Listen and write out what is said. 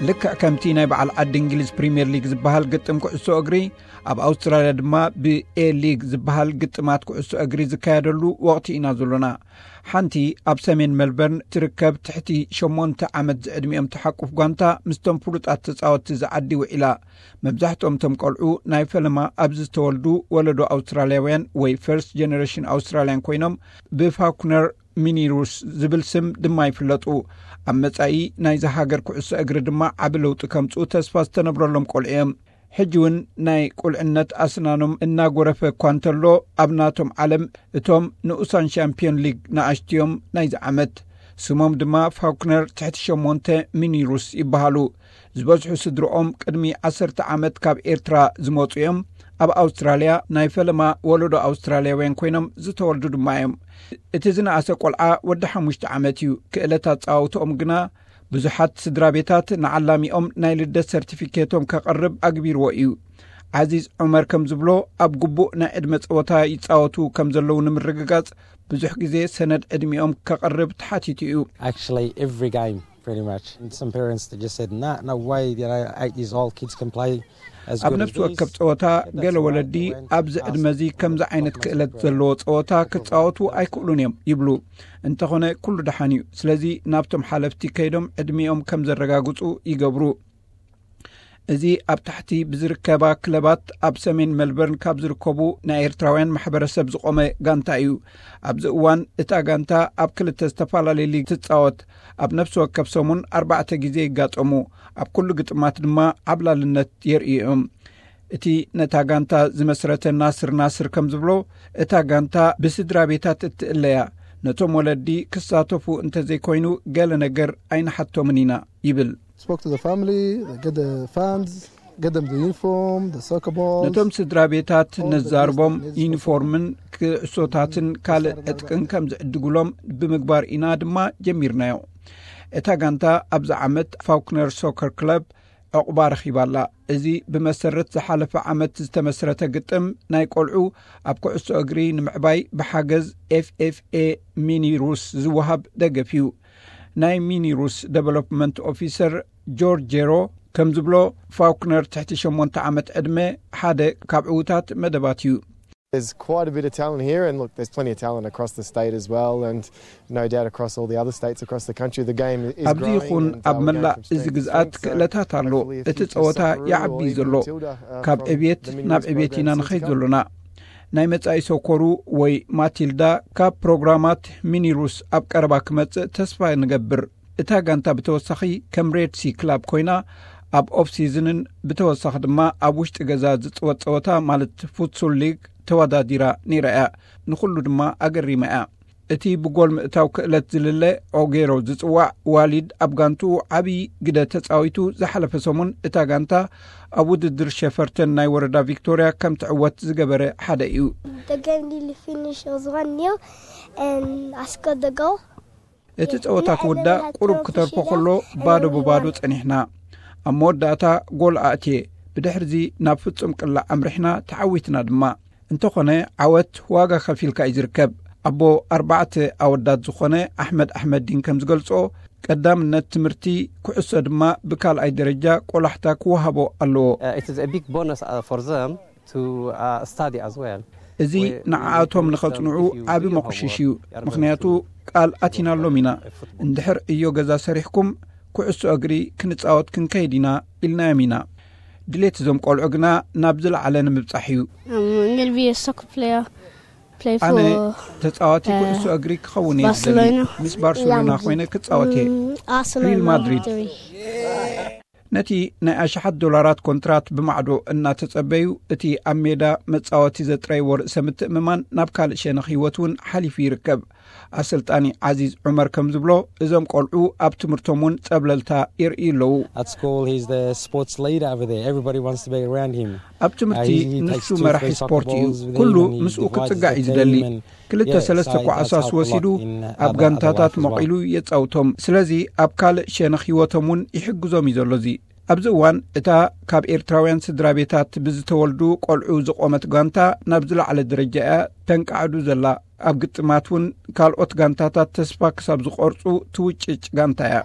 ልክዕ ከምቲ ናይ በዓል ዓዲ እንግሊዝ ፕሪምየር ሊግ ዝበሃል ግጥም ኩዕሶ እግሪ፣ ኣብ ኣውስትራልያ ድማ ብኤ ሊግ ዝበሃል ግጥማት ኩዕሶ እግሪ ዝካየደሉ ወቕቲ ኢና ዘሎና። ሓንቲ ኣብ ሰሜን ሜልበርን ትርከብ ትሕቲ ሸሞንተ ዓመት ዝዕድሚኦም ተሓቁፍ ጓንታ ምስቶም ፍሉጣት ተጻወትቲ ዝዓዲ ውዒላ። መብዛሕትኦም እቶም ቆልዑ ናይ ፈለማ ኣብዚ ዝተወልዱ ወለዶ ኣውስትራልያውያን ወይ ፈርስት ጀነሬሽን ኣውስትራልያን ኮይኖም፣ ብፋኩነር ሚኒሩስ ዝብል ስም ድማ ይፍለጡ። ኣብ መጻኢ ናይዚ ሃገር ኩዕሶ እግሪ ድማ ዓቢ ለውጢ ከምጽኡ ተስፋ ዝተነብረሎም ቆልዑ እዮም። ሕጂ እውን ናይ ቁልዕነት ኣስናኖም እናጎረፈ እኳ እንተሎ፣ ኣብ ናቶም ዓለም እቶም ንኡሳን ሻምፒዮን ሊግ ንኣሽትዮም ናይዚ ዓመት። ስሞም ድማ ፋኩነር ትሕቲ ሸሞንተ ሚኒሩስ ይበሃሉ። ዝበዝሑ ስድርኦም ቅድሚ ዓሰርተ ዓመት ካብ ኤርትራ ዝመጹ እዮም። ኣብ ኣውስትራልያ ናይ ፈለማ ወለዶ ኣውስትራልያውያን ኮይኖም ዝተወልዱ ድማ እዮም። እቲ ዝነኣሰ ቆልዓ ወዲ ሓሙሽተ ዓመት እዩ። ክእለት ኣጻውትኦም ግና ብዙሓት ስድራ ቤታት ንዓላሚኦም ናይ ልደት ሰርቲፊኬቶም ከቕርብ ኣግቢርዎ እዩ። ዓዚዝ ዑመር ከም ዝብሎ፣ ኣብ ግቡእ ናይ ዕድመ ጸወታ ይጻወቱ ከም ዘለዉ ንምርግጋጽ ብዙሕ ግዜ ሰነድ ዕድሚኦም ከቕርብ ተሓቲቱ እዩ። Actually, every game, pretty much. And some parents they just said, "Nah, no way. You know, eight years old kids can play as ኣብ good as ነፍሲ ወከፍ these." ጸወታ But that's ገለ why ወለዲ they went ኣብዚ ask ዕድመዚ for ከምዚ ዓይነት optimal ክእለት program. ዘለዎ ጸወታ ክጻወቱ ኣይክእሉን እዮም ይብሉ። እንተኾነ ኩሉ ደሓን እዩ። ስለዚ ናብቶም ሓለፍቲ ከይዶም ዕድሚኦም ከም ዘረጋግጹ ይገብሩ። እዚ ኣብ ታሕቲ ብዝርከባ ክለባት ኣብ ሰሜን ሜልበርን ካብ ዝርከቡ ናይ ኤርትራውያን ማሕበረሰብ ዝቖመ ጋንታ እዩ። ኣብዚ እዋን እታ ጋንታ ኣብ ክልተ ዝተፈላለየ ሊግ ትጻወት። ኣብ ነፍሲ ወከፍ ሰሙን ኣርባዕተ ግዜ ይጋጠሙ። ኣብ ኩሉ ግጥማት ድማ ዓብላልነት የርእዩ እዮም። እቲ ነታ ጋንታ ዝመስረተ ናስር ናስር ከም ዝብሎ፣ እታ ጋንታ ብስድራ ቤታት እትእለያ። ነቶም ወለዲ ክሳተፉ እንተዘይኮይኑ ገለ ነገር ኣይንሓቶምን ኢና ይብል። Spoke to the family, they get the funds, get them the uniform, the soccer balls. ነቶም ስድራ ቤታት ነዛርቦም ዩኒፎርምን ክዕሶታትን ካልእ ዕጥቅን ከም ዝዕድጉሎም ብምግባር ኢና ድማ ጀሚርናዮ። እታ ጋንታ ኣብዚ ዓመት ፋውክነር ሶከር ክለብ ዕቑባ ረኺባ ኣላ። እዚ ብመሰረት ዝሓለፈ ዓመት ዝተመስረተ ግጥም ናይ ቆልዑ ኣብ ኩዕሶ እግሪ ንምዕባይ ብሓገዝ ኤፍኤፍኤ ሚኒ ሩስ ዝወሃብ ደገፍ እዩ። ናይ ሚኒ ሩስ ዴቨሎፕመንት ኦፊሰር ጆርጅ ጄሮ ከም ዝብሎ፣ ፋውክነር ትሕቲ ሸሞንተ ዓመት ዕድመ ሓደ ካብ ዕዉታት መደባት እዩ። There's quite a bit of talent here, and look, there's plenty of talent across the state as well. And no doubt across all the other states across the country, the game is ኣብዚ growing. ይኹን ኣብ መላእ እዚ ግዝኣት ክእለታት ኣሎ። እቲ ጸወታ ይዓቢ እዩ ዘሎ። ካብ ዕብየት ናብ ዕብየት ኢና ንኸይድ ዘሎና። ናይ መጻኢ ሶኮሩ ወይ ማቲልዳ ካብ ፕሮግራማት ሚኒሩስ ኣብ ቀረባ ክመጽእ ተስፋ ንገብር። እታ ጋንታ ብተወሳኺ ከም ሬድ ሲ ክላብ ኮይና ኣብ ኦፍ ሲዝንን ብተወሳኺ ድማ ኣብ ውሽጢ ገዛ ዝጽወት ጸወታ ማለት ፉትሱል ሊግ ተወዳዲራ ነይራ እያ። ንኹሉ ድማ ኣገሪማ እያ። እቲ ብጎል ምእታው ክእለት ዝልለ ኦጌሮ ዝጽዋዕ ዋሊድ ኣብ ጋንትኡ ዓብዪ ግደ ተጻዊቱ። ዝሓለፈ ሰሙን እታ ጋንታ ኣብ ውድድር ሸፈርተን ናይ ወረዳ ቪክቶርያ ከም ትዕወት ዝገበረ ሓደ እዩ። The game nearly finished. It was one nil, and I scored the goal. እቲ ጸወታ ክውዳእ ቁሩብ ክተርፎ ከሎ ባዶ ብባዶ ጸኒሕና። ኣብ መወዳእታ ጎል ኣእትየ። ብድሕርዚ ናብ ፍጹም ቅላዕ ኣምሪሕና፣ ተዓዊትና ድማ። እንተኾነ ዓወት ዋጋ ከፊልካ እዩ ዝርከብ። ኣቦ ኣርባዕተ ኣወዳት ዝኾነ ኣሕመድ ኣሕመዲን ከም ዝገልጾ፣ ቀዳምነት ትምህርቲ፣ ኩዕሶ ድማ ብካልኣይ ደረጃ ቆላሕታ ክወሃቦ ኣለዎ። Uh, it is a big bonus uh, for them to uh, study as well. እዚ ንዓኣቶም ንኸጽንዑ ዓቢ መቑሽሽ እዩ። ምኽንያቱ ቃል ኣቲናሎም ኢና። እንድሕር እዮ ገዛ ሰሪሕኩም ኩዕሶ እግሪ ክንጻወት ክንከይድ ኢና ኢልናዮም ኢና። ድሌት እዞም ቆልዑ ግና ናብ ዝለዓለ ንምብጻሕ እዩ። I'm going to be a soccer player, play ኣነ for ተጻዋቲ uh, ኩዕሶ እግሪ ክኸውን እየ ዝደሊ። Barcelona. ምስ ባርሴሎና ኮይነ ክጻወት እየ። Mm, Arsenal ሪል number ማድሪድ። three. ነቲ ናይ ኣሽሓት ዶላራት ኮንትራት ብማዕዶ እናተጸበዩ፣ እቲ ኣብ ሜዳ መጻወቲ ዘጥረይዎ ርእሰ ምትእምማን ናብ ካልእ ሸነኽ ህይወት እውን ሓሊፉ ይርከብ። ኣሰልጣኒ ዓዚዝ ዑመር ከም ዝብሎ፣ እዞም ቆልዑ ኣብ ትምህርቶም እውን ጸብለልታ የርእዩ ኣለዉ። At school, he's the sports leader over there. Everybody wants to be around him. ኣብ ትምህርቲ Uh, he- he takes ንሱ two, መራሒ three soccer ስፖርት እዩ። balls with ኩሉ him and he ምስኡ divides ክጽጋዕ እዩ the ዝደሊ። team and ክልተ yeah, ሰለስተ so it does ኳዕሳስ help a lot ወሲዱ in, uh, ኣብ other ጋንታታት life as well. መቒሉ የጻውቶም። ስለዚ ኣብ ካልእ ሸነኽ ህይወቶም እውን ይሕግዞም እዩ ዘሎ። እዚ ኣብዚ እዋን እታ ካብ ኤርትራውያን ስድራ ቤታት ብዝተወልዱ ቆልዑ ዝቖመት ጋንታ ናብ ዝለዓለ ደረጃ እያ ተንቃዕዱ ዘላ። ኣብ ግጥማት እውን ካልኦት ጋንታታት ተስፋ ክሳብ ዝቖርጹ ትውጭጭ ጋንታ እያ።